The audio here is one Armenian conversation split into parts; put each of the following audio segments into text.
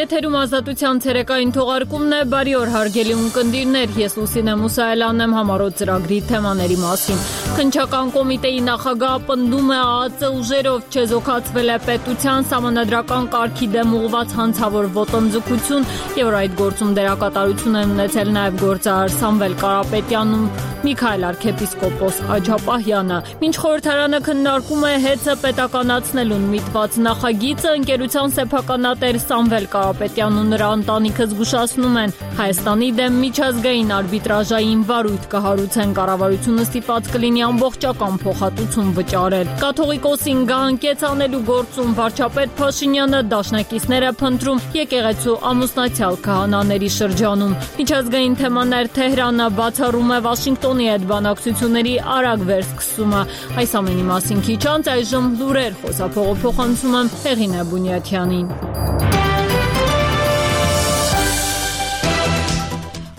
Եթերում ազատության ցերեկային թողարկումն է, բարի օր հարգելի ունկնդիրներ, ես Լուսինե Մուսայելյանն եմ համառոտ ծրագրի թեմաների մասին։ Քննչական կոմիտեի նախագահը պնդում է ԱԱԾ ուժերով չեզոքացվել է պետության սահմանադրական կարգի դեմ ուղղված հանցավոր ոտնձգություն, եւ որ այդ գործում դերակատարություն են ունեցել նաեւ գործարար Սամվել Կարապետյանն ու Միքայել arczepiskopos Աջապահյանը։ Մինչ խորհրդարանը քննարկում է ՀԵՑ-ը պետականացնելուն միտված նախագիծը, ընկերության սեփականատեր Սամվել Կարապետյանն ու նրա ընտանիքը զգուշացնում են, Հայաստանի դեմ միջազգային արբիտրաժային վարույթ կհարուցեն, կառավարությունը ստիպված կլինի ամբողջական փոխհատուցում վճարել։ Կաթողիկոսին գահանկեց անելու գործում վարչապետ Փաշինյանը դաշնակիցները փնտրում եկեղեցու ամուսնացյալ քահանաների շրջանում։ Միջազգային թեմաներ Թեհրանը բացառում է Վաշինգտոնի հետ բանակցությունների արագ վերսկսումը։ Այս ամենի մասին քիչ անց այժմ լուրեր, խոսափողը փոխանցում եմ Հեղինե Բունյաթյանին։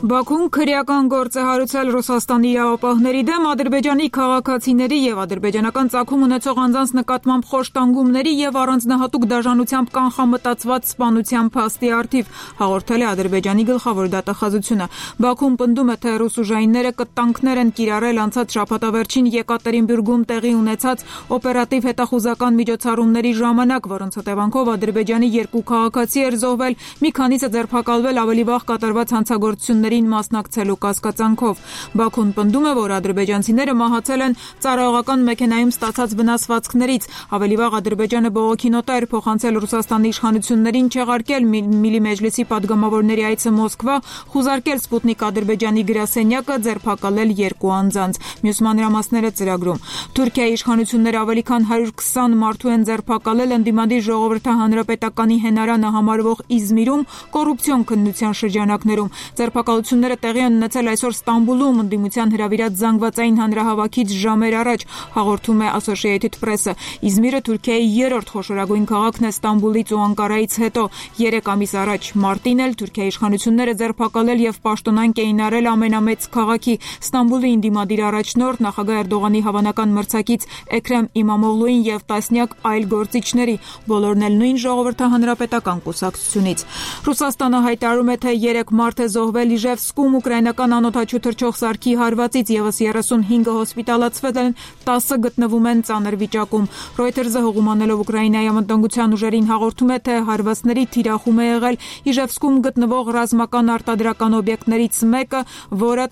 Բաքուն քրեական գործ է հարուցել Ռուսաստանի իրավապահների դեմ, Ադրբեջանի քաղաքացիների եւ ադրբեջանական ծագում ունեցող անձանց նկատմամբ խոշտանգումների եւ առանձնահատուկ դաժանությամբ կանխամտածված սպանության փաստի առթիվ, հաղորդել է Ադրբեջանի գլխավոր դատախազությունը։ Բաքուն պնդում է, թե ռուս ուժայինները կտանքներ են կիրառել անցած շաբաթավերջին Եկատերինբուրգում տեղի ունեցած օպերատիվ հետախուզական միջոցառումների ժամանակ, որոնց հետևանքով Ադրբեջանի 2 քաղաքացի էր զոհվել, մի քանիսը ձերբակալվել ավելի վաղ կատարված հանցագործությունների մասնակցելու կասկածանքով։ Բաքուն պնդում է, որ ադրբեջանցիները մահացել են ծառայողական մեքենայում ստացած վնասվածքներից։ Ավելի վաղ Ադրբեջանը բողոքի նոթ էր փոխանցել Ռուսաստանի իշխանություններին չեղարկել Միլի մեջլիսի падգամավորների այցը Մոսկվա, խուզարկել Սպուտնիկ Ադրբեջանի գրասենյակը, ձերբակալել 2 անձանց։ Մյուս մանրամասները ծրագրում։ Թուրքիայի իշխանությունները ավելի քան 120 մարդու են ձերբակալել ընդդիմադիր ժողովրդահանրապետականի հենարանը համարվող Իզմիրում կոռուպցիոն քննության շրջանակներում։ Ձերբակալությունները տեղի են ունեցել այսօր Ստամբուլում ընդդիմության հրավիրած զանգվածային հանրահավաքից ժամեր առաջ, հաղորդում է Associated Press-ը։ Իզմիրը Թուրքիայի 3-րդ խոշորագույն քաղաքն է Ստամբուլից ու Անկարայից հետո։ 3 ամիս առաջ մարտին էլ Թուրքիայի իշխանությունները ձերբակալել եւ պաշտոնանկ էին արել ամենամեծ քաղաքի Ստամբուլի ընդդիմադիր առաջնորդ նախագահ Էրդողանի հավանական մրցակից Էքրեմ Իմամօղլուին եւ տասնյակ այլ գործիչների, բոլորն էլ նույն ժողովրդահանրապետական կուսակցությունից։ Ռուսաստանը հայտարարում է, թե 3 մարդ է զոհվել Իժևսկում ուկրաինական անօդաչու թռչող սարքի հարվածից, եւս 35-ը հոսպիտալացվել են, 10-ը գտնվում են ծանր վիճակում։ Reuters-ը հողումանելով Ուկրաինայի անվտանգության ուժերին հաղորդում է, թե հարվածների թիրախում է եղել Իժևսկում գտնվող ռազմական արտադրական օբյեկտներից մեկը, որը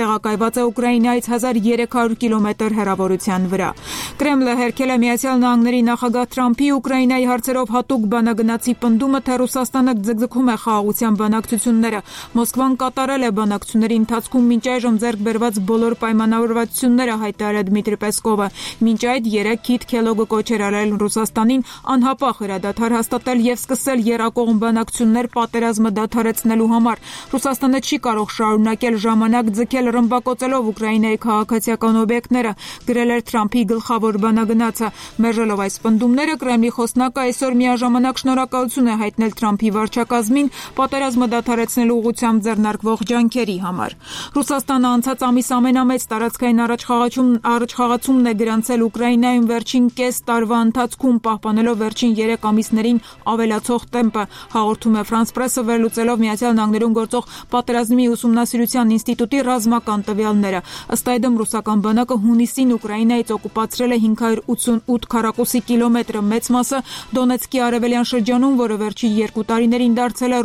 տեղակայված է Ուկրաինայից 1300 կիլոմետր հեռավորության վրա։ Կրեմլը հերքել է Միացյալ Նահանգների նախագահ Թրամփի Ուկրաինայի հարցերով հատուկ բանագնացի պնդումը, թե Ռուսաստանը ձգձգում է խաղաղության բանակցությունները։ Մոսկվան կատարել է բանակցությունների ընթացքում մինչ այժմ ձեռք բերված բոլոր պայմանավորվածությունները, հայտարարել Դմիտրի Պեսկովը։ Մինչ այդ 3 քիթ Քելոգը կոչ էր արել Ռուսաստանին անհապաղ հրադադար հաստատել եւ սկսել եռակողմ բանակցություններ պատերազմը դադարեցնելու համար։ Ռուսաստանը չի կարող շարունակել ժամանակ ձգել ռմբակոծելով Ուկրաինայի քաղաքացիական օբյեկտները, գրել էր Թրամփի գլխավոր բանագնացը։ Մերժելով այս պնդումները, Կրեմլի խոսնակը այսօր միաժամանակ շնորհակալություն է հայտնել Թրամփի վարչակազմին պատերազմը դադարեցնելու ուղղությամբ ձեռնարկվող ջանքերի համար։ Ռուսաստանը անցած ամիս ամենամեծ տարածքային առաջխաղացումն է գրանցել Ուկրաինայում վերջին կես տարվա ընթացքում, պահպանելով վերջին 3 ամիսներին ավելացող տեմպը, հաղորդում է France Press-ը վերլուծելով Միացյալ Նահանգներում գործող պատերազմի ուսումնասիրության ինստիտուտի ռազմական տվյալները։ Ըստ այդմ ռուսական բանակը հունիսին Ուկրաինայից օկուպացրել է 588 քառակուսի կիլոմետր, մեծ մասը Դոնեցկի արևելյան շրջանում, որը վերջին 2 տարիներին դարձել է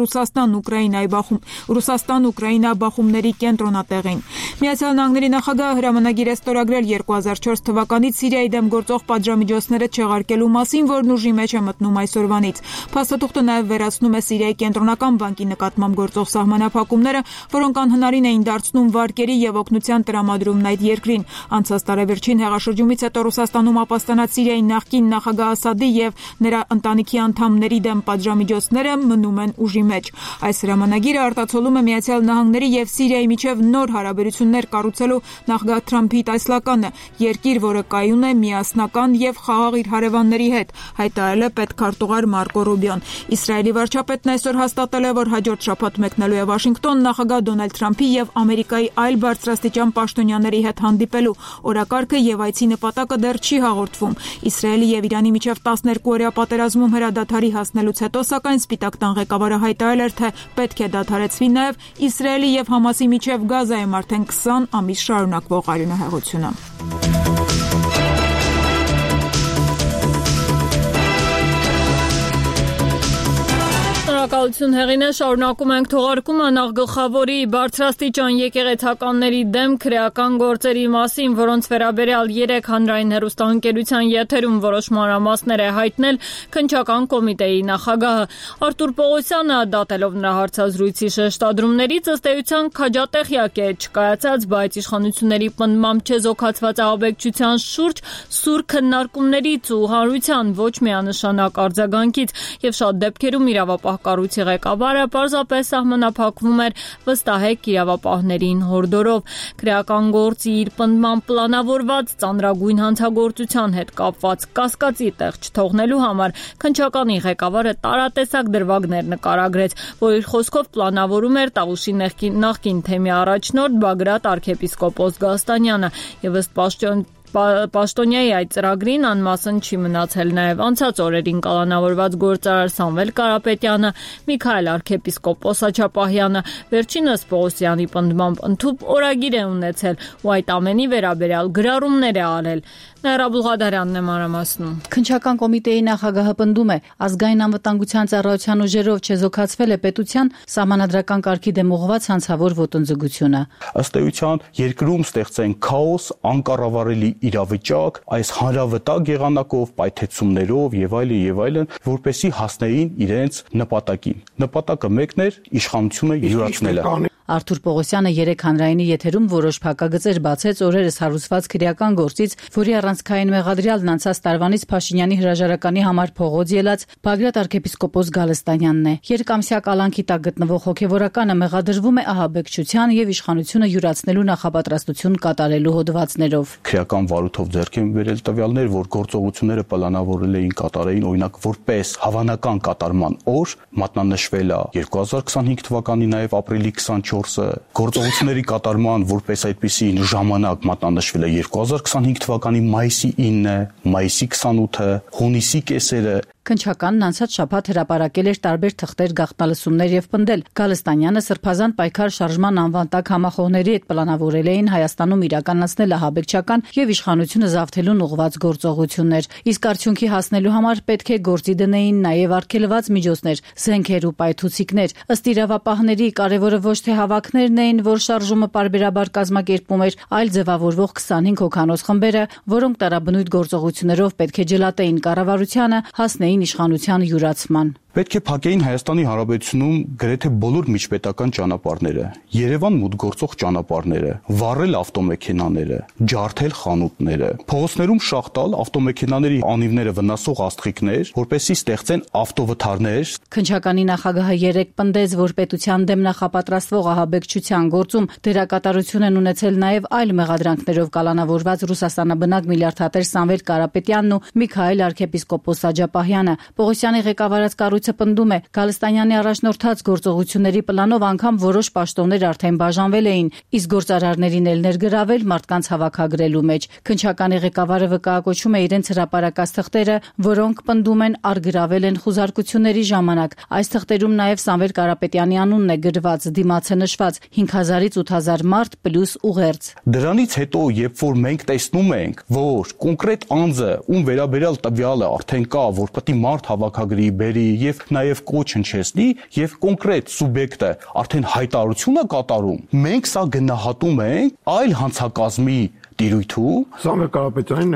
Ռուսաստան-Ուկրաինա բախումների կենտրոնատեղին։ Միացյալ Նահանգների նախագահը հրամանագիր է ստորագրել 2004 թվականից Սիրիայի դեմ գործող պատժամիջոցները չեղարկելու մասին, որն ուժի մեջ է մտնում այսօրվանից։ Փաստաթուղթը նաև վերացնում է Սիրիայի կենտրոնական բանկի նկատմամբ գործող սահմանափակումները, որոնք անհնարին էին դարձնում վարկերի եւ օգնության տրամադրումն այդ երկրին։ Անցած տարեվերջին հեղաշրջումից հետո Ռուսաստանում ապաստանած Սիրիայի նախկին նախագահ Ասադի եւ նրա ընտանիքի անդամների դեմ պատժամիջոցները մնում են ուժի մեջ։ Այս հրամանագիրը արտացոլում ցավալում է Միացյալ Նահանգների եւ Սիրիայի միջև նոր հարաբերություններ կառուցելու նախագահ Թրամփի տեսլականը, երկիր, որը կայուն է միասնական եւ խաղաղ իր հարևանների հետ, հայտարարել է պետքարտուղար Մարկո Ռուբիոն։ Իսրայելի վարչապետն այսօր հաստատել է, որ հաջորդ շաբաթ մեկնելու է Վաշինգտոն նախագահ Դոնալդ Թրամփի եւ Ամերիկայի այլ բարձրաստիճան պաշտոնյաների հետ հանդիպելու օրակարգը եւ այցի նպատակը դեռ չի հաղորդվում։ Իսրայելի եւ Իրանի միջև 12-օրյա պատերազմում հրադադարի հասնելուց հետո, սակայն Սպիտակ տան ղեկավարը հայտարարել էր, թե պետք է դադարեցվի նաեւ Իսրայելի եւ Համասի միջև Գազայում արդեն 20 ամիս շարունակվող արյունահեղությունը։ Շնորհակալություն Հեղինե, շարունակում ենք թողարկումը նախգլխավորի բարձրաստիճան եկեղեցականների դեմ քրեական գործերի մասին, որոնց վերաբերյալ 3 հանրային հեռուստաընկերության եթերում որոշ մանրամասներ է հայտնել քննչական կոմիտեի նախագահը։ Արտուր Պողոսյանը, դատելով նրա հարցազրույցի շեշտադրումներից, ըստ էության քաջատեղյակ է չկայացած, բայց իշխանությունների պնդմամբ չեզոքացված ահաբեկչության շուրջ սուր քննարկումներից ու հանրության ոչ միանշանակ արձագանքից եւ շատ դեպքերում իրավապահ կառույցի ղեկավարը պարզապես սահմանափակվում էր վստահեք իրավապահներին հորդորով։ Քրեական գործի իր պնդմամբ պլանավորված ծանրագույն հանցագործության հետ կապված կասկածի տեղ չթողնելու համար քննչականի ղեկավարը տարատեսակ դրվագներ նկարագրեց, որ իր խոսքով պլանավորում էր Տավուշի նախկին թեմի առաջնորդ Բագրատ arczepiskopos Գալստանյանը եւ ըստ Պաշտոնյայի այդ ծրագրին անմասն չի մնացել նաև անցած օրերին կալանավորված գործարար Սամվել Կարապետյանը, Միքայել arczepiskopos Աչապահյանը, վերջինս Պողոսյանի պնդմամբ ընդհուպ օրագիր է ունեցել ու այդ ամենի վերաբերյալ գրառումներ է արել։ Նաիրա Բուլղադարյանն է մանրամասնում։ Քննչական կոմիտեի նախագահը պնդում է, ազգային անվտանգության ծառայության ուժերով չեզոքացվել է պետության սահմանադրական կարգի դեմ ուղղված հանցավոր ոտնձգությունը։ Ըստ էության երկրում ստեղծեն քաոս, անկառավարելի իրավիճակ, այս հանրավտակ եղանակով, պայթեցումներով եւ այլն, որպեսզի հասնեին իրենց նպատակին։ Նպատակը մեկն էր իշխանությունը յուրացնելը։ Արտուր Պողոսյանը 3 հանրայինի եթերում որոշ փակագծեր բացեց օրերս հարուցված քրեական գործից, որի առանցքային մեղադրյալն անցած տարվանից Փաշինյանի հրաժարականի համար փողոց ելած Բագրատ arczepiskopos Գալստանյանն է։ Երկամսյա կալանքի տակ գտնվող հոգևորականը մեղադրվում է ահաբեկչության եւ իշխանությունը յուրացնելու նախապատրաստություն կատարելու հոդվածներով։ Քրեական վարույթով ձեռք են բերել տվյալներ, որ գործողությունները պլանավորել էին կատարեին, օրինակ որպես հավանական կատարման օր մատնանշվել է 2025 թվականի նաեւ ապրիլի 24-ը, գործողությունների կատարման որպես այդպիսի ժամանակ մատնանշվել է 2025 թվականի մայիսի 9-ը, մայիսի 28-ը, հունիսի կեսերը։ Քննչականն անցած շաբաթ հրապարակել էր տարբեր թղթեր, գաղտնալսումներ եւ պնդել։ Գալստանյանը սրբազան պայքար շարժման անվան տակ համախոհների հետ պլանավորել էին Հայաստանում իրականացնել ահաբեկչական եւ իշխանությունը զավթելուն ուղղված գործողություններ։ Իսկ արդյունքի հասնելու համար պետք է գործի դնեին նաեւ արգելված միջոցներ, զենքեր ու պայթուցիկներ։ Ըստ իրավապահների կարևորը ոչ թե հավաքներն էին, որ շարժումը պարբերաբար կազմակերպում էր, այլ ձևավորվող 25 հոգանոց խմբերը, որոնք տարաբնույթ գործողություններով պետք է ջլատեին կառավարությանը, հասնեին իշխանության յուրացման։ Պետք է փակեին Հայաստանի Հանրապետությունում գրեթե բոլոր միջպետական ճանապարհները, Երևան մուտք գործող ճանապարհները, վառել ավտոմեքենաները, ջարդել խանութները, փողոցներում շաղ տալ ավտոմեքենաների անիվները վնասող աստղիկներ, որպեսզի ստեղծեն ավտովթարներ։ Քննչականի նախագահը 3 պնդեց, որ պետության դեմ նախապատրաստվող ահաբեկչության գործում դերակատարություն են ունեցել նաև այլ մեղադրանքներով կալանավորված Ռուսաստանաբնակ միլիարդատեր Սամվել Կարապետյանն ու Միքայել arczepiskopos Աչապահյանը։ Պողոսյանի ղեկավարած կառույցը պնդում է, Գալստանյանի առաջնորդած գործողությունների պլանով անգամ որոշ պաշտոններ արդեն բաժանվել էին, իսկ գործարարներին էլ ներգրավել մարդկանց հավաքագրելու մեջ։ Քննչականի ղեկավարը վկայակոչում է իրենց հրապարակած թղթերը, որոնք պնդում են արգրավել են խուզարկությունների ժամանակ։ Այս թղթերում նաև Սամվել Կարապետյանի անունն է գրված, դիմացը նշված 5000-ից 8000 մարդ պլյուս ուղերձ։ Դրանից հետո, երբ որ մենք տեսնում ենք, որ կոնկրետ անձը, ում վերաբերյալ տվյալը արդեն կա, որ պետք է մարդ հավաքագրի, բերի եւ նաեւ կոչ հնչեցնի եւ կոնկրետ սուբյեկտը արդեն հայտարարություն է կատարում, մենք սա գնահատում ենք այլ հանցակազմի տիրույթում Սամվել Կարապետյանին։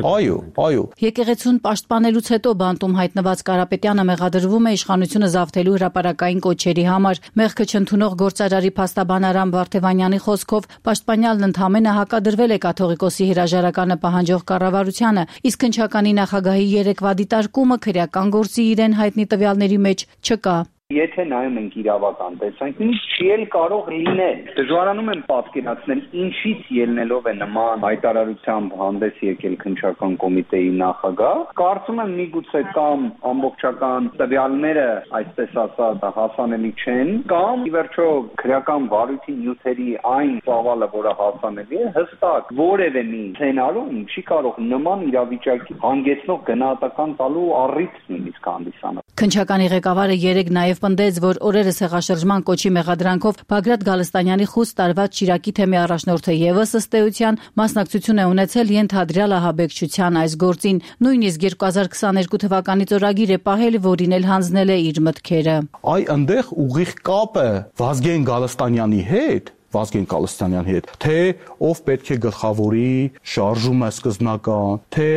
Այո։ Եկեղեցուն պաշտպանելուց հետո բանտում հայտնված Կարապետյանը մեղադրվում է իշխանությունը զավթելու հրապարակային կոչերի համար։ Մեղքը չընդունող գործարարի փաստաբան Արամ Վարդևանյանի խոսքով պաշտպանյալն ընդհանրապես հակադրվել է կաթողիկոսի հրաժարականը պահանջող կառավարությանը, իսկ քննչականի նախագահի երեկվա դիտարկումը քրեական գործի իրեն հայտնի տվյալների մեջ չկա։ Եթե նայում ենք իրավական տեսանկյունից, չի էլ կարող լինել։ Դժվարանում եմ պատկերացնել, ինչից ելնելով է նման հայտարարությամբ հանդես եկել քննչական կոմիտեի նախագահ։ Կարծում եմ միգուցե կամ ամբողջական տվյալները, այսպես ասած, հասանելի չեն, կամ ի վերջո քրեական վարույթի նյութերի այն ծավալը, որը հասանելի է, հստակ որևէ մի սցենարում չի կարող նման իրավիճակի հանգեցնող գնահատական տալու առիթ նույնիսկ հանդիսանալ։ Քննչականի ղեկավարը երեկ նաև պնդեց, որ օրերս հեղաշրջման կոչի մեղադրանքով Բագրատ Գալստանյանի խուստ տարված Շիրակի թեմի առաջնորդը եւս ըստ էության մասնակցություն է ունեցել ենթադրյալ ահաբեկչության այս գործին, նույնիսկ 2022 թվականից օրագիր է պահել, որին էլ հանձնել է իր մտքերը։ Այնտեղ ուղիղ կապը Վազգեն Գալստանյանի հետ թե ով պետք է գլխավորի շարժումը սկզբնական, թե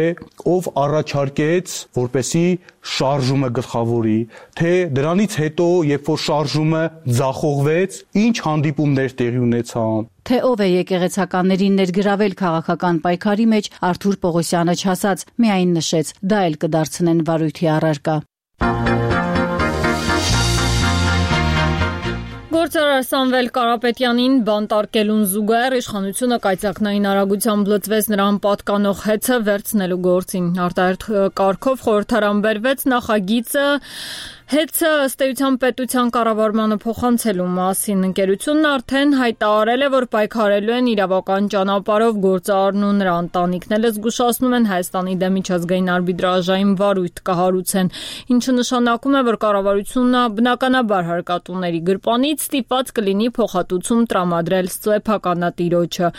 ով առաջարկեց, որպեսի շարժումը գլխավորի, թե դրանից հետո, երբ որ շարժումը ձախողվեց, ինչ հանդիպումներ տեղի ունեցան, թե ով է եկեղեցականներին ներգրավել քաղաքական պայքարի մեջ, Արթուր Պողոսյանը չասաց, միայն նշեց, դա էլ կդարձնեն վարույթի առարկա։ Գործարար Սամվել Կարապետյանին բանտարկելուն զուգահեռ իշխանությունը կայծակնային արագությամբ լծվեց նրան պատկանող հեծը վերցնելու գործին։ Արտահերթ կարգով խորհրդարան բերվեց նախագիծը Հեծը ըստ էության պետության կառավարմանը փոխանցելու մասին ընկերությունն արդեն հայտարարել է, որ պայքարելու են իրավական ճանապարհով գործարարն ու նրա ընտանիքն էլ զգուշացնում են Հայաստանի դեմ միջազգային արբիտրաժային վարույթ կհարուցեն, ինչը նշանակում է, որ կառավարությունը բնականաբար հարկատուների գրպանից ստիպված կլինի փոխհատուցում տրամադրել սեփականատիրոջը։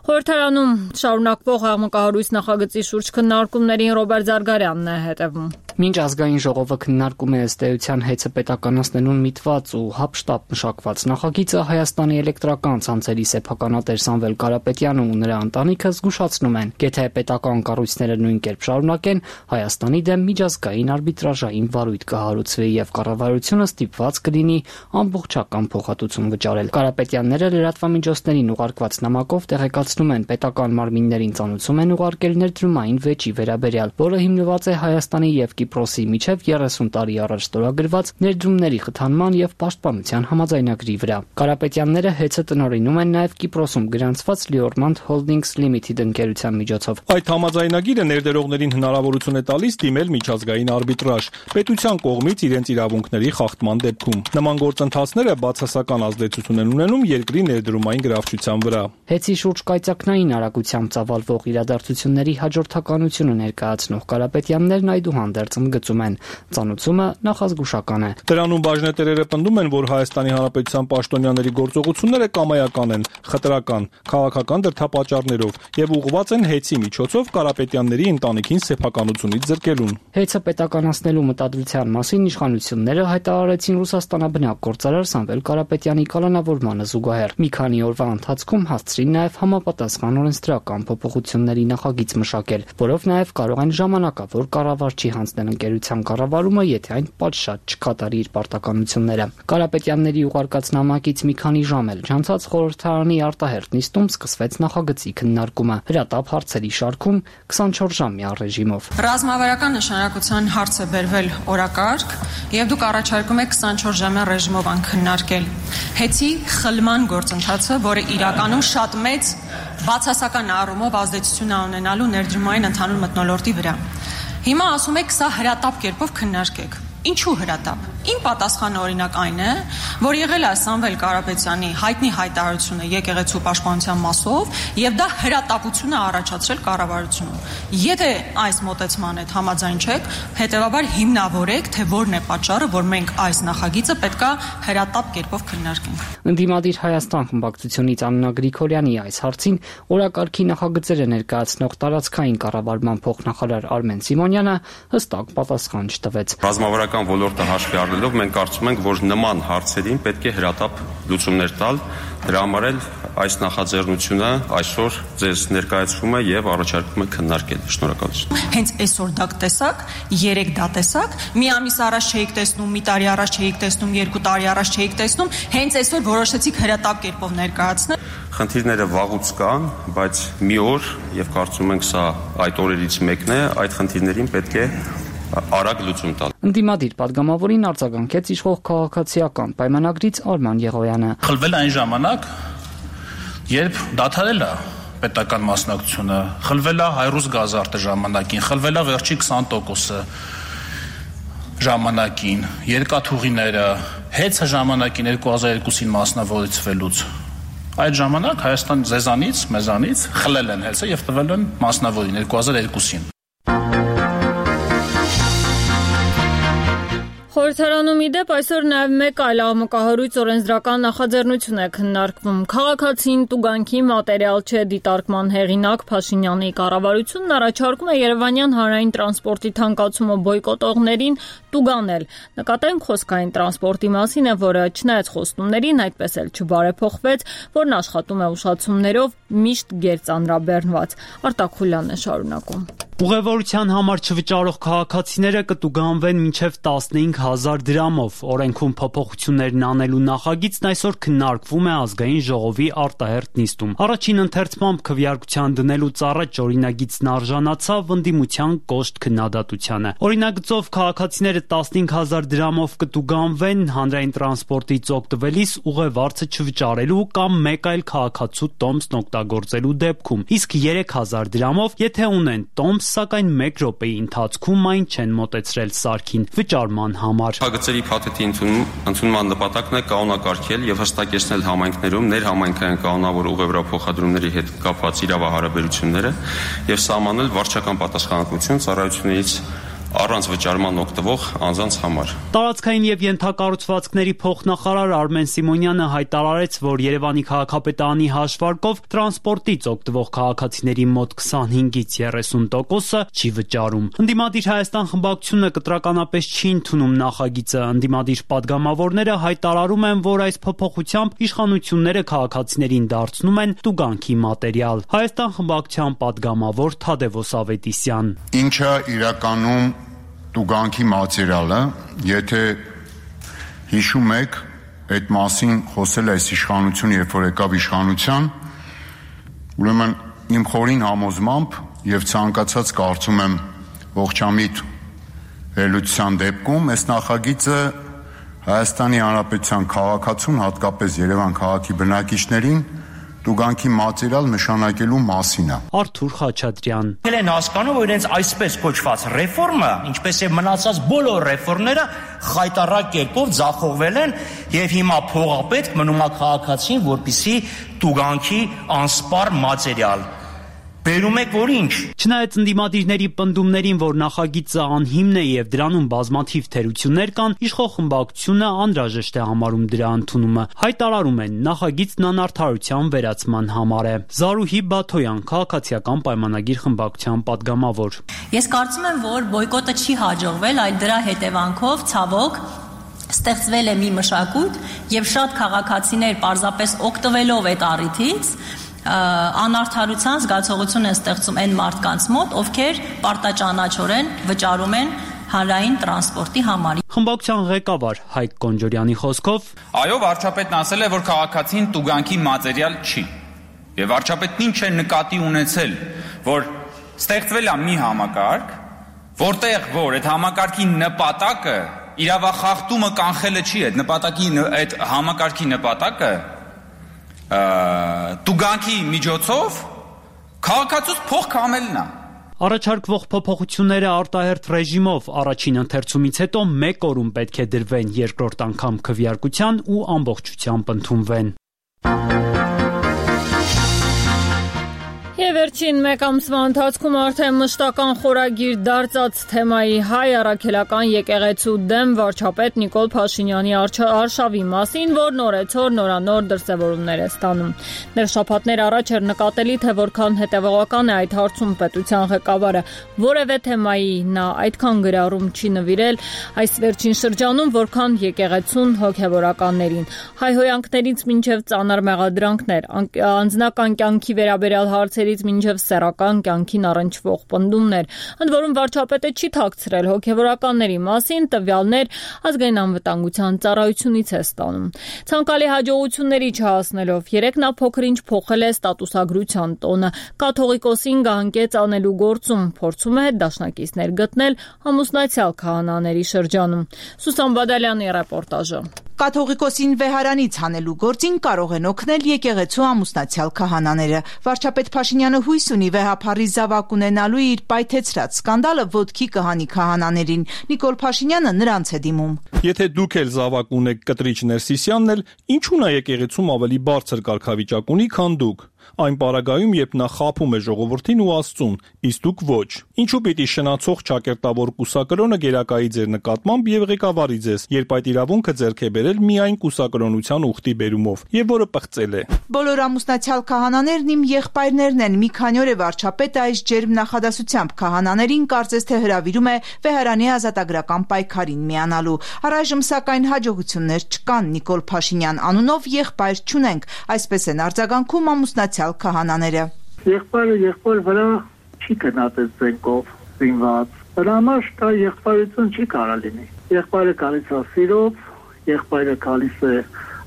Խորհրդարանում շարունակվող աղմկահարույց նախագծի շուրջ քննարկումներին Ռոբերտ Զարգարյանն է հետևում։ Մինչ ազգային ժողովը քննարկում է ըստ էության հեծը պետականացնելուն միտված ու հապշտապ մշակված նախագիծը, Հայաստանի էլեկտրական ցանցերի սեփականատեր Սամվել Կարապետյանը ու նրա ընտանիքը զգուշացնում են, եթե պետական կառույցները նույն կերպ շարունակեն, Հայաստանի դեմ միջազգային արբիտրաժային վարույթ կհարուցվի եւ կառավարությունը ստիպված կլինի ամբողջական փոխհատուցում վճարել։ Կարապետյանները լրատվամիջոցներին ուղարկված նամակով տեղեկացնում են, պետական մարմիններին ծանուցում են ուղարկել ներդրումային վեճի վերաբերյալ, որը հիմնված է Հայաստանի եւ Կիպրոսի միջև 30 տարի առաջ ստորագրված ներդրումների խթանման եւ պաշտպանության համաձայնագրի վրա։ Կարապետյանները հեծը տնօրինում են նաեւ Կիպրոսում գրանցված Liormand Holdings Limited ընկերության միջոցով։ Այդ համաձայնագիրը ներդրողներին հնարավորություն է տալիս դիմել միջազգային արբիտրաժ պետության կողմից իրենց իրավունքների խախտման դեպքում։ Նման գործընթացները բացասական ազդեցություն են ունենում երկրի ներդրումային գրավչության վրա։ Հեծի շուրջ կայծակնային արագությամբ ծավալվող իրադարձությունների հաջորդականությունը ներկայացնող Կարապետյաններն այդուհանդերձ ընդգծում են, ծանուցումը նախազգուշական է։ Դրանում բաժնետերերը պնդում են, որ Հայաստանի Հանրապետության պաշտոնյաների գործողությունները կամայական են, խտրական, քաղաքական դրդապատճառներով եւ ուղղված են հեծի միջոցով Կարապետյանների ընտանիքին սեփականությունից զրկելուն։ Հեծը պետականացնելու մտադրության մասին իշխանությունները հայտարարեցին Ռուսաստանաբնակ գործարար Սամվել Կարապետյանի կալանավորմանը զուգահեռ։ Մի քանի օրվա ընթացքում հասցրին նաեւ համապատասխան օրենսդրական փոփոխությունների նախագիծ մշակել, որով նաեւ կարող են ժամանակավոր կառավարչի հանձնել ընկերության կառավարումը, եթե այն պատշաճ չկատարի իր պարտականությունները։ Կարապետյանների ուղարկած նամակից մի քանի ժամ էլ չանցած խորհրդարանի արտահերթ նիստում սկսվեց նախագծի քննարկումը։ Հրատապ հարցերի շարքում 24-ժամյա ռեժիմով։ Ռազմավարական նշանակության հարց է բերվել օրակարգ, եւ դուք առաջարկում եք 24-ժամյա ռեժիմով քննարկել հեծի խլման գործընթացը, որը իրականում շատ մեծ բացասական առումով ազդեցություն ունենալու ներդրումային ընդհանուր մթնոլորտի վրա։ Հիմա ասում եք, սա հրատապ կերպով քննարկեք։ Ինչու հրատապ։ Իմ պատասխանը օրինակ այն է, որ եղել է Սամվել Կարապետյանի հայտնի հայտարարությունը եկեղեցու պաշտպանության մասով, եւ դա հրատապություն է առաջացրել կառավարությունում։ Եթե այս մոտեցման հետ համաձայն չեք, հետեւաբար հիմնավորեք, թե որն է պատճառը, որ մենք այս նախագիծը պետքա հրատապ կերպով քննարկենք։ Ընդդիմադիր Հայաստան խմբակցությունից Աննա Գրիգորյանի այս հարցին օրակարգի նախագծերը ներկայացնող տարածքային կառավարման փոխնախարար Արմեն Սիմոնյանը հստակ պատասխան չտվեց։ Ռազմավարական ոլորտը հաշվի առնելով մենք կարծում ենք, որ նման հարցերին պետք է հրատապ լուծումներ տալ, դրա համար էլ այս նախաձեռնությունը այսօր ձեզ ներկայացվում է եւ առաջարկում է քննարկել։ Շնորհակալություն։ Հենց այսօր դա տեսակ, 3 դա տեսակ, մի ամիս առաջ չէիք տեսնում, մի տարի առաջ չէիք տեսնում, 2 տարի առաջ չէիք տեսնում, հենց այսօր որոշեցիք հրատապ կերպով ներկայացնել։ Խնդիրները վաղուց կան, բայց մի օր եւ կարծում ենք սա այդ օրերից մեկն է, այդ խնդիրներին պետք է արագ լուծում տալ։ Ընդդիմադիր падգամավորին արձագանքեց իշխող քաղաքացիական պայմանագրից Արման Եղոյանը։ Խլվել է այն ժամանակ, երբ դադարել է պետական մասնակցությունը, խլվել է հայրուս գազարտը ժամանակին, խլվել է վերջի 20%-ը ժամանակին, երկաթուղիները, հեծը ժամանակին 2002-ին մասնավորեցվելուց։ Այդ ժամանակ Հայաստան ձեզանից, մեզանից խլել են հեծը եւ տվել են մասնավորին 2002-ին։ Խորհրդարանում ի դեպ այսօր նաև մեկ այլ աղմկահարույց օրենսդրական նախաձեռնություն է քննարկվում։ Քաղաքացին տուգանքի մատերիալ չէ դիտարկման հեղինակ Փաշինյանի կառավարությունն առաջարկում է Երևանյան հանրային տրանսպորտի թանկացումը բոյկոտողներին տուգանել։ Նկատենք խոսքային տրանսպորտի մասին է, որը չնայած խոստումներին այդպես էլ չբարեփոխվեց, որն աշխատում է ուշացումներով միշտ գերծանրաբեռնված։ Արտակ Խուլյանն է շարունակում։ Ուղևորության համար չվճարող քաղաքացիները կտուգանվեն մինչև 15,000 դրամով։ Օրենքում փոփոխություններն անելու նախագիծն այսօր քննարկվում է ազգային ժողովի արտահերթ նիստում։ Առաջին ընթերցմամբ քվեարկության դնելուց առաջ օրինագիծն արժանացավ ընդդիմության կոշտ քննադատությանը։ Օրինագծով քաղաքացիները 15,000 դրամով կտուգանվեն հանրային տրանսպորտից օգտվելիս ուղևորցը չվճարելու կամ մեկ այլ քաղաքացու տոմսն օգտագործելու դեպքում, իսկ 3,000 դրամով, եթե ունեն տոմս, սակայն 1 րոպեի ընթացքում այն չեն մոտեցրել սարքին վճարման համար։ Փակագծերի փաթեթի ընդունման նպատակն է կանոնակարգել եւ հստակեցնել համայնքներում ներհամայնքային կանոնավոր ուղևորափոխադրումների հետ կապված իրավահարաբերությունները եւ սահմանել վարչական պատասխանատվություն ծառայություններից առանց վճարման օգտվող անձանց համար։ Տարածքային եւ ենթակառուցվածքների փոխնախարար Արմեն Սիմոնյանը հայտարարեց, որ Երևանի քաղաքապետարանի հաշվարկով տրանսպորտից օգտվող քաղաքացիների մոտ 25-ից 30%-ը չի վճարում։ Ընդդիմադիր Հայաստան խմբակցությունը կտրականապես չի ընդունում նախագիծը։ Ընդդիմադիր падգամավորները հայտարարում են, որ այս փոփոխությամբ իշխանությունները քաղաքացիներին դարձնում են տուգանքի մատերիալ։ Հայաստան խմբակցության падգամավոր Թադևոս Ավետիսյան։ Ինչը իրականում տուգանքի մատերիալը, եթե հիշում եք, այդ մասին խոսել է այս իշխանությունը, երբ որ եկավ իշխանության, ուրեմն իմ խորին համոզմամբ եւ ցանկացած կարծում եմ ողջամիտ վերլուծության դեպքում այս նախագիծը Հայաստանի Հանրապետության քաղաքացուն, հատկապես Երևան քաղաքի բնակիչներին տուգանքի մատերիալ նշանակելու մասին է։ Արթուր Խաչատրյան։ Ել են հասկանում, որ իրենց այսպես կոչված ռեֆորմը, ինչպես եւ մնացած բոլոր ռեֆորմները խայտառակ կերպով ձախողվել են եւ հիմա փողապետք մնում է քաղաքացին, որպիսի տուգանքի անսպառ մատերիալ բերում եք, որ ինչ։ Չնայած ընդդիմադիրների պնդումներին, որ նախագիծը անհիմն է եւ դրանում բազմաթիվ թերություններ կան, իշխող խմբակցությունը անհրաժեշտ է համարում դրա ընդունումը։ Հայտարարում են, նախագիծն անարդարության վերացման համար է։ Զարուհի Բաթոյան, քաղաքացիական պայմանագիր խմբակցության падգամավոր։ Ես կարծում եմ, որ բոյկոտը չի հաջողվել, այլ դրա հետևանքով ցավոք ստեղծվել է մի մշակույթ եւ շատ քաղաքացիներ պարզապես օգտվելով այդ առիթից անարդարության զգացողություն են ստեղծում այն մարդկանց մոտ, ովքեր պարտաճանաչորեն վճարում են հանրային տրանսպորտի համար։ Խմբակցության ղեկավար Հայկ Կոնջորյանի խոսքով, այո, վարչապետն ասել է, որ քաղաքացին տուգանքի մատերիալ չի։ Եվ վարչապետն ինչ է նկատի ունեցել, որ ստեղծվել է մի համակարգ, որտեղ որ այդ համակարգի նպատակը իրավախախտումը կանխելը չի, այդ համակարգի նպատակը տուգանքի միջոցով քաղաքացուց փող կամելն է։ Առաջարկվող փոփոխությունները արտահերթ ռեժիմով առաջին ընթերցումից հետո 1 օրում պետք է դրվեն, երկրորդ անգամ քվեարկության ու ամբողջությամբ ընդունվեն։ Եվ վերջին մեկ ամսվա ընթացքում արդեն մշտական խորագիր դարձած թեմայի հայ առաքելական եկեղեցու դեմ վարչապետ Նիկոլ Փաշինյանի արշավի մասին, որ նորեցօր նորանոր դրսևորումներ է ստանում։ Դեռ շաբաթներ առաջ էր նկատելի, թե որքան հետևողական է այդ հարցում պետության ղեկավարը, որևէ թեմայի նա այդքան գրառում չի նվիրել այս վերջին շրջանում, որքան եկեղեցուն հոգևորականներին։ Հայհոյանքներից մինչև ծանր մեղադրանքներ, անձնական կյանքի վերաբերյալ հարցերի հարցերից մինչև սեռական կյանքին առնչվող պնդումներ։ Ընդ որում վարչապետը չի թաքցրել հոգևորականների մասին տվյալներ ազգային անվտանգության ծառայությունից է ստանում։ Ցանկալի հաջողությունների չհասնելով 3 նա փոքր-ինչ փոխել է ստատուսագրության տոնը։ Կաթողիկոսին գահանկեց անելու գործում փորձում է դաշնակիցներ գտնել ամուսնացյալ քահանաների շրջանում։ Սուսան Բադալյանի ռեպորտաժը։ Կաթողիկոսին վեհարանից հանելու գործին կարող են օգնել եկեղեցու ամուսնացյալ քահանաները։ Վարչապետ Փաշինյանը հույս ունի վեհափառի զավակ ունենալու իր պայթեցրած սկանդալը ոտքի կհանի քահանաներին։ Նիկոլ Փաշինյանը նրանց է դիմում։ Եթե դուք էլ զավակ ունեք կտրիչ Ներսիսյանն էլ, ինչու՞ նա եկեղեցում ավելի բարձր կարգավիճակ ունի, քան դուք։ Այն պարագայում, երբ նա խաբում է ժողովրդին ու Աստծուն, իսկ դուք ոչ։ Ինչու պիտի շնացող ճակերտավոր կուսակրոնը գերակայի ձեր նկատմամբ եւ ղեկավարի ձեզ, երբ այդ իրավունքը ձեռք է բերել միայն կուսակրոնության ուխտի բերումով, եւ որը պղծել է։ Բոլոր ամուսնացյալ քահանաներն իմ եղբայրներն են։ Մի քանի օր է վարչապետը այս ջերմ նախադասությամբ քահանաներին կարծես թե հրավիրում է վեհարանի ազատագրական պայքարին միանալու։ Առայժմ սակայն հաջողություններ չկան։ Նիկոլ Փաշինյան անունով եղբայր չունենք, այսպես են արձագանքում ամուսնացյալ քահանաները։ Եղբայրը վրա չի գնացել զենքով զինված։ Դրա համար դա եղբայրություն չի կարող լինի։ Եղբայրը գալիս է սիրով, եղբայրը գալիս է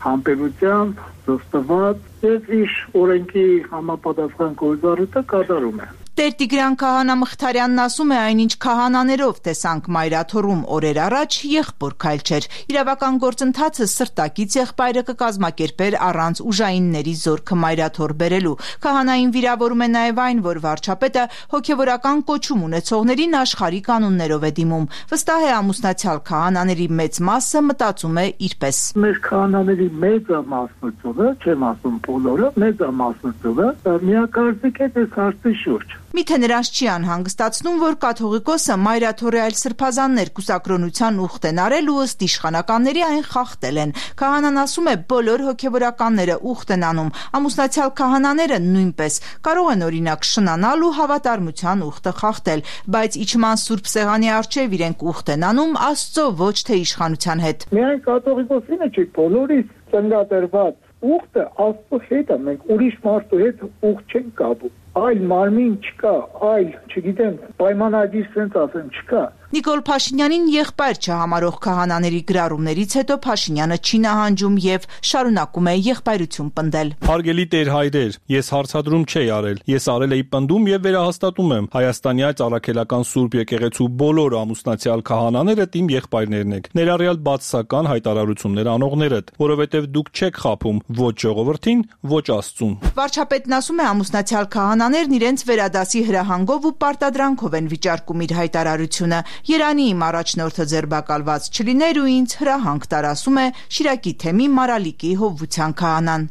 համբերությամբ, զոստված եւ իր օրենքի համապատասխան գործառույթը կատարում է։ Տեր Տիգրան քահանա Մխիթարյանն ասում է, այնինչ քահանաներով տեսանք Մայրաթորում օրեր առաջ եղբոր քայլ չէր։ Իրավական գործընթացը սրտակից եղբայրը կկազմակերպեր առանց ուժայինների զորքը Մայրաթոր բերելու։ Քահանային վիրավորում է նաև այն, որ վարչապետը հոգևորական կոչում ունեցողներին աշխարհի կանոններով է դիմում։ Վստահ է ամուսնացյալ քահանաների մեծ մասը մտածում է իրպես։ Մեր քահանաների մեծամասնությունը, չեմ ասում բոլորը, մեծամասնությունը միակարծիք է այս հարցի շուրջ։ Միթե նրանց չի անհանգստացնում, որ կաթողիկոսը Մայրաթորի այլ սրբազաններ կուսակրոնության ուխտ են արել ու ըստ իշխանականների այն խախտել են։ Քահանան ասում է, բոլոր հոգևորականները ուխտ են անում, ամուսնացյալ քահանաները նույնպես կարող են օրինակ շնանալ ու հավատարմության ուխտը խախտել, բայց իջման սուրբ սեղանի առջև իրենք ուխտ են անում Աստծո, ոչ թե իշխանության հետ։ Միայն կաթողիկոսինը չի, բոլորից ծննդադրված ուխտը Աստծո հետ է, մենք ուրիշ մարդու հետ ուխտ չենք կապում։ Այլ մարմին չկա, այլ, չգիտեմ, պայմանագիր սենց ասեմ, չկա։ Նիկոլ Փաշինյանին եղբայր չհամարող քահանաների գրառումներից հետո Փաշինյանը չի նահանջում եւ շարունակում է եղբայրություն պնդել։ Հարգելի Տեր հայրեր, ես հարցադրում չէի արել, ես արել էի պնդում եւ վերահաստատում եմ Հայաստանի այդ առաքելական Սուրբ եկեղեցու բոլոր ամուսնացյալ քահանաները իմ եղբայրներն եք, ներառյալ բացասական հայտարարություններ անողներդ, որովհետեւ դուք չեք խաբում ոչ ժողովրդին, ոչ Աստծուն։ Վարչապետն ասում է ամուսնացյալ քահանաներն իրենց վերադասի հրահանգով ու պարտադրանքով են վիճարկում իր հայտարարությունը։ Երանի իմ առաջնորդը ձերբակալված չլիներ ու ինձ հրահանգ տար, ասում է Շիրակի թեմի Մարալիկի Հովվության քահանան։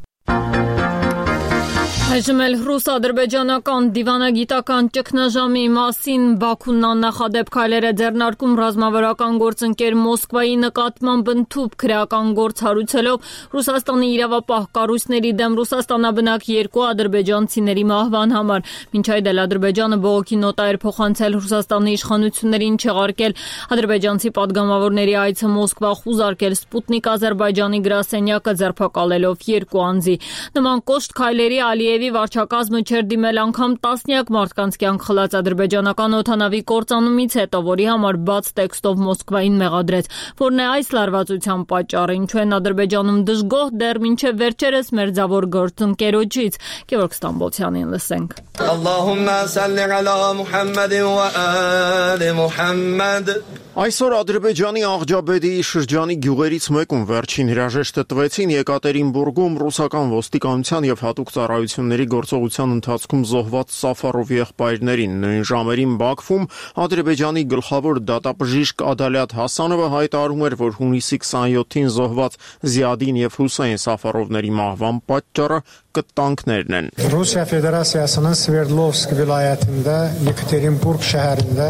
Այժմ էլ ռուս-ադրբեջանական դիվանագիտական ճգնաժամի մասին Բաքուն աննախադեպ քայլեր է ձեռնարկում ռազմավարական գործընկեր Մոսկվայի նկատմամբ ընդཐུպ քրեական գործ հարուցելով Ռուսաստանի իրավապահ կառույցների դեմ Ռուսաստանաբնակ 2 ադրբեջանցիների մահվան համար։ Մինչ այդ էլ Ադրբեջանը բողոքի նոտա էր փոխանցել Ռուսաստանի իշխանություններին չեղարկել ադրբեջանցի падգամավորների այցը Մոսկվա խուզարկել Սպուտնիկ Ադրբեջանի գրասենյակը ձերբակալելով 2 անձի։ Նման կոշտ քայլերի Ալիևի վարչակազմը չէր դիմել անգամ տասնյակ մարդկանց կյանք խլած ադրբեջանական օդանավի կործանումից հետո, որի համար բաց տեքստով Մոսկվային մեղադրեց, որն է այս լարվածության պատճառը, ինչու են Ադրբեջանում դժգոհ դեռ մինչև վերջերս մերձավոր գործընկերոջից։ Գևորգ Ստամբոլցյանին լսենք։ Ալլահումմա սալլի ալա Մուհամմադ վա ալի Մուհամմադ։ Այսօր Ադրբեջանի Աղջաբեդի շրջանի գյուղերից մեկում վերջին հրաժեշտը տվեցին Եկատերինբուրգում ռուսական ոստիկանության եւ հատուկ ծառայությունների գործողության ընթացքում զոհված Սաֆարով եղբայրներին։ Նույն ժամերին Բաքվում Ադրբեջանի գլխավոր դատաբժիշկ Ադալյատ Հասանովը հայտարարում էր, որ հունիսի 27-ին զոհված Զիադին եւ Հուսեյն Սաֆարովների մահվան պատճառը կտանքներն են։ Ռուսիա Ֆեդերացիասının Sverdlovsk vilayətində Yekaterinburg şəhərində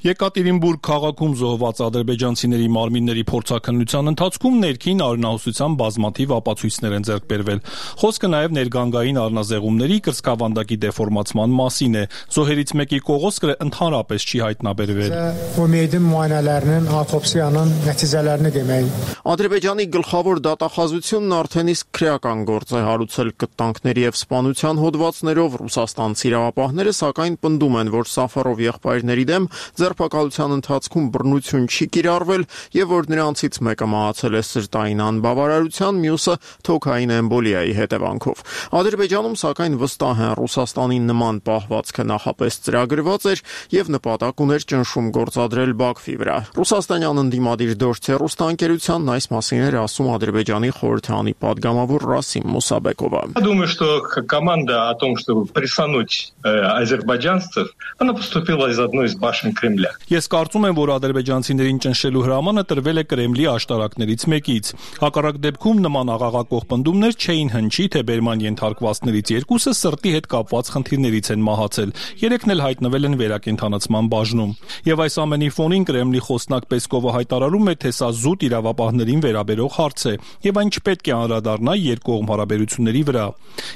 Եկատերինբուրգ քաղաքում զոհված ադրբեջանցիների մարմինների փորձաքննության ընթացքում ներքին արյունահոսության բազմաթիվ ապացույցներ են ձեռք բերվել։ Խոսքը նաև ներգանգային առնազեղումների կրծքավանդակի դեֆորմացման մասին է։ Զոհերից մեկի կողոսկրը ընդհանրապես չի հայտնաբերվել։ O meydin müayinələrinin, autopsiyanın nəticələrini demək։ Ադրբեջանի գլխավոր դատախազությունն արդեն իսկ քրեական գործ է հարուցել կտանքների եւ սպանության հոդվածներով։ Ռուսաստանցի իրավապահները սակայն պնդում են, որ Սաֆարով եղբայրների դեմ ձերբակալության ընթացքում բռնություն չի կիրառվել եւ որ նրանցից մեկը մահացել է սրտային անբավարարության, մյուսը թոքային էմբոլիայի հետևանքով։ Ադրբեջանում սակայն վստահ են Ռուսաստանի նման պահվածքը նախապես ծրագրված էր եւ նպատակ уներ ճնշում գործադրել Բաքվի վրա։ Ռուսաստանյան ընդդիմադիր Դոժ Ռուսաստան այս մասին էր ասում Ադրբեջանի խորհրդանի падգամավոր Расим Мусабекова. Думаю, что команда о том, чтобы прессануть азербайджанцев, она поступила из одной из башен Кремля. Ես կարծում եմ, որ ադրբեջանցիներին ճնշելու հրամանը տրվել է Կրեմլի աշտարակներից մեկից։ Հակառակ դեպքում նման աղաղակող պնդումներ չէին հնչի, թե բերման ենթարկվածներից երկուսը սրտի հետ կապված խնդիրներից են մահացել։ Երեքն էլ հայտնվել են վերակենդանացման բաժնում։ Եվ այս ամենի ֆոնին Կրեմլի խոսնակ Պեսկովը հայտարարում է, թե սա զուտ իրավապահներին վերաբերող հարց է, եւ այն չպետք է անդրադառնա երկկողմ հարաբերությունների վրա։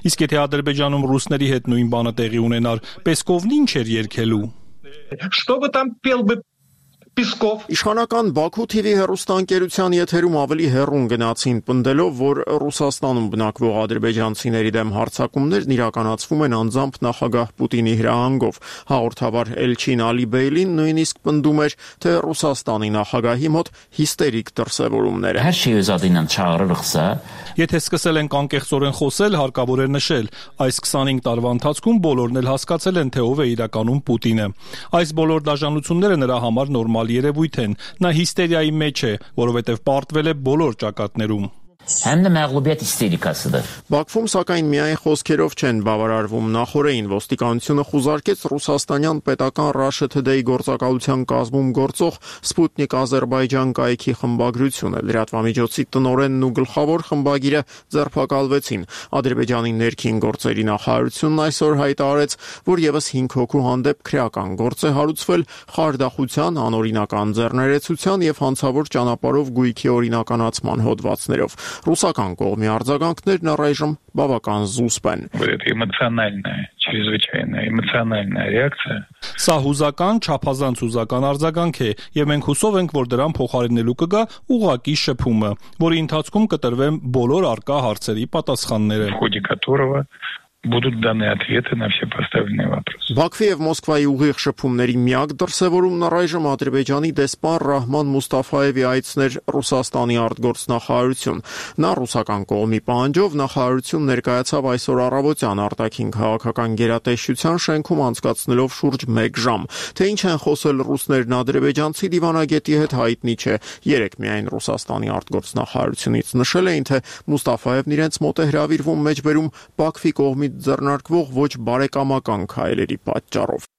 Իսկ եթե Ադրբեջանում ռուսների հետ նույն բանը տեղի ունենար, Պեսկովն ինչ էր երգելու։ Что бы там пел бы Песков. Իշխանական Բաքու TV հեռուստաընկերության եթերում ավելի հեռուն գնացին պնդելով, որ Ռուսաստանում բնակվող ադրբեջանցիների դեմ հարձակումներն իրականացվում են անձամբ նախագահ Պուտինի հրահանգով։ Հաղորդավար Էլչին Ալիբեյլին նույնիսկ պնդում էր, թե Ռուսաստանի նախագահի մոտ հիստերիկ դրսևորումներ են։ Եթե սկսել ենք անկեղծորեն խոսել, հարկավոր է նշել, այս 25 տարվա ընթացքում բոլորն էլ հասկացել են, թե ով է իրականում Պուտինը։ Այս բոլոր դաժանությունները նրա համար նորմալ երևույթ են։ Նա հիստերիայի մեջ է, որովհետև պարտվել է բոլոր ճակատներում։ Həm də məğlubiyyət isterikasıdır. Բաքվում սակայն միայն խոսքերով չեն բավարարվում։ Նախորդին ոստիկանությունը խուզարկեց ռուսաստանյան պետական Russia Today գործակալության կազմում գործող Sputnik Azerbaijan կայքի խմբագրությունը։ Լրատվամիջոցի տնօրենն ու գլխավոր խմբագիրը ձերբակալվեցին։ Ադրբեջանի ներքին գործերի նախարարությունն այսօր հայտարարեց, որ եւս 5 հոգու հանդեպ քրեական գործ է հարուցվել խարդախության, անօրինական ձեռներեցության եւ հանցավոր ճանապարհով գույքի օրինականացման հոդվածներով։ Ռուսական կողմի արձագանքներն առայժմ բավական զուսպ են։ Эмоциональная реакция. Սա հուզական, չափազանց հուզական արձագանք է, եւ մենք հուսով ենք, որ դրան փոխարինելու կգա ուղղակի շփումը, որի ընթացքում կտրվեն բոլոր արկա հարցերի պատասխանները։ В ходе которого будут даны ответы на все поставленные вопросы. Բաքվի եւ Մոսկվայի ուղիղ շփումների միակ դրսևորումն առայժմ Ադրբեջանի դեսպան Ռահման Մուստաֆայևի այցն էր Ռուսաստանի արտգործնախարարություն։ Նա ռուսական կողմի պահանջով նախարարություն ներկայացավ այսօր առավոտյան արտաքին քաղաքական գերատեսչության շենքում անցկացնելով շուրջ 1 ժամ։ Թե ինչ են խոսել ռուսներն ադրբեջանցի դիվանագետի հետ հայտնի չէ։ Երեք միայն Ռուսաստանի արտգործնախարարությունից նշել էին, թե Մուստաֆայևն իրենց մոտ է հրավիրվում մեջբերում Բաքվի կողմից ձեռնարկվող ոչ բարեկամական քայլերի պատճառով։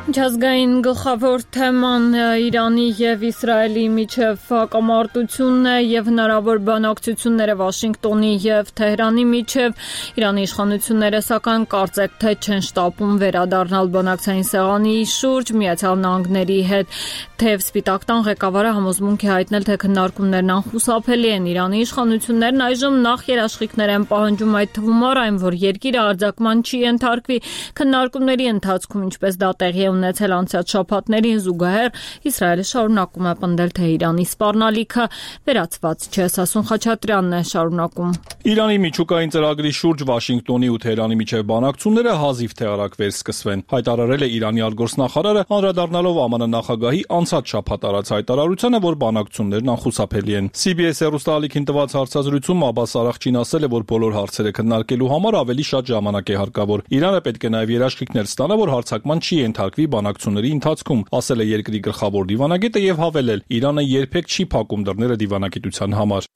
Միջազգային գլխավոր թեման Իրանի եւ Իսրայելի միջև հակամարտությունն է եւ հնարավոր բանակցությունները Վաշինգտոնի եւ Թեհրանի միջև։ Իրանի իշխանությունները սակայն կարծեք թե չեն շտապում վերադառնալ բանակցային սեղանի շուրջ Միացյալ Նահանգների հետ, թեև Սպիտակ տան ղեկավարը համոզմունք է հայտնել, թե քննարկումներն անխուսափելի են։ Իրանի իշխանություններն այժմ նախ երաշխիքներ են պահանջում, այդ թվում առ այն, որ երկիրը արձակման չի ենթարկվի քննարկումների ընթացքում, ինչպես դա տեղի ունեցել անցած շաբաթներին զուգահեռ Իսրայելը շարունակում է պնդել, թե Իրանի սպառնալիքը վերացված չէ։ Սասուն Խաչատրյանն է շարունակում։ Իրանի միջուկային ծրագրի շուրջ Վաշինգտոնի ու Թեհրանի միջև բանակցությունները հազիվ թե արագ վերսկսվեն, հայտարարել է Իրանի արտգործնախարարը, անդրադառնալով ԱՄՆ նախագահի անցած շաբաթ արած հայտարարությանը, որ բանակցություններն անխուսափելի են։ CBS հեռուստաալիքին տված հարցազրույցում Աբբաս Արաղչին ասել է, որ բոլոր հարցերը քննարկելու համար ավելի շատ ժամանակ է հարկավոր։ Իրանը պետք է նաև երաշխիքներ ստանա, որ հարձակման չի ենթարկվի բանակցությունների ընթացքում, ասել է երկրի գլխավոր դիվանագետը եւ հավելել. Իրանը երբեք չի փակում դռները դիվանագիտության համար։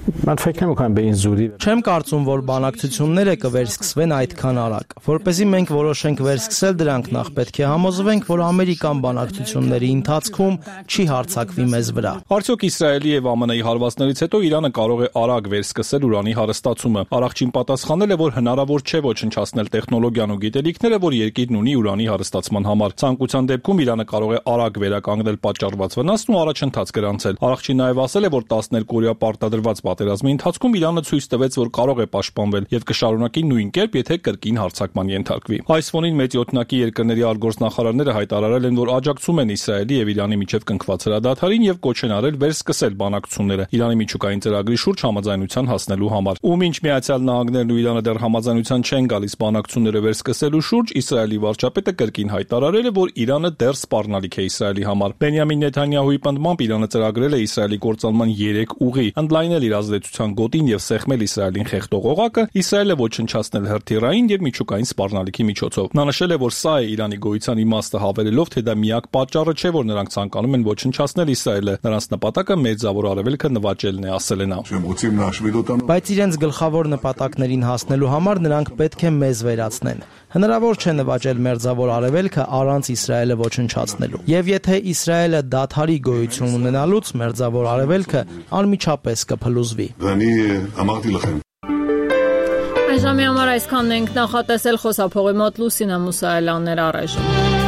Չեմ կարծում, որ բանակցությունները կվերսկսվեն այդքան արագ։ Որպեսզի մենք որոշենք վերսկսել դրանք, նախ պետք է համոզվենք, որ ամերիկան բանակցությունների ընթացքում չի հարձակվի մեզ վրա։ Արդյոք Իսրայելի եւ ԱՄՆ-ի հարվածներից հետո Իրանը կարող է արագ վերսկսել ուրանի հարստացումը։ Արաղչին պատասխանել է, որ հնարավոր չէ ոչնչացնել տեխնոլոգիան ու գիտելիքները, որ երկիրն ունի ուրանի հարստացման համար։ Ցանկության Այդպիսության դեպքում Իրանը կարող է արագ վերականգնել պատճառված վնասն ու առաջընթաց գրանցել։ Արարչին նաև ասել է, որ 12-օրյա պարտադրված պատերազմի ընթացքում Իրանը ցույց տվեց, որ կարող է պաշտպանվել եւ կշարունակի նույն կերպ, եթե կրկին հարձակման ենթարկվի։ Այս ֆոնին մեծ յոթնակի երկրների արտգործնախարարները հայտարարել են, որ աջակցում են Իսրայելի եւ Իրանի միջև կնքված հրադադարին եւ կոչ են արել վերսկսել բանակցությունները Իրանի միջուկային ծրագրի շուրջ համաձայնության հասնելու համար։ Ու մինչ Միացյալ Նահանգներն ու Իրանը դեռ համաձայնության չեն գալիս բանակցությունները վերսկսելու շուրջ, Իսրայելի վարչապետը կրկին հայտարարել է, որ Իրանը դեռ սպառնալիք է Իսրայելի համար։ Բենյամին Նեթանյահուի պնդմամբ Իրանը ծրագրել է Իսրայելի կործանման 3 ուղի՝ ընդլայնել իր ազդեցության գոտին եւ սեղմել Իսրայելին խեղդող օղակը, Իսրայելը ոչնչացնել հրթիռային եւ միջուկային սպառնալիքի միջոցով։ Նա նշել է, որ սա է Իրանի գոյության իմաստը, հավելելով, թե դա միակ պատճառը չէ, որ նրանք ցանկանում են ոչնչացնել Իսրայելը։ Նրանց նպատակը Մերձավոր Արևելքը նվաճելն է, ասել է նա։ Բայց իրենց գլխավոր նպատակներին հասնելու համար նրանք պետք է մեզ վերացնեն։ Հնարավոր չէ նվաճել Մերձավոր Արևելքը առանց Իսրայելը ոչնչացնելու։ Եվ եթե Իսրայելը դադարի գոյություն ունենալուց, Մերձավոր Արևելքը անմիջապես կփլուզվի։ Այժմի համար այսքանն ենք նախատեսել, խոսափողի մոտ Լուսինե Մուսայելյաններ առայժմ։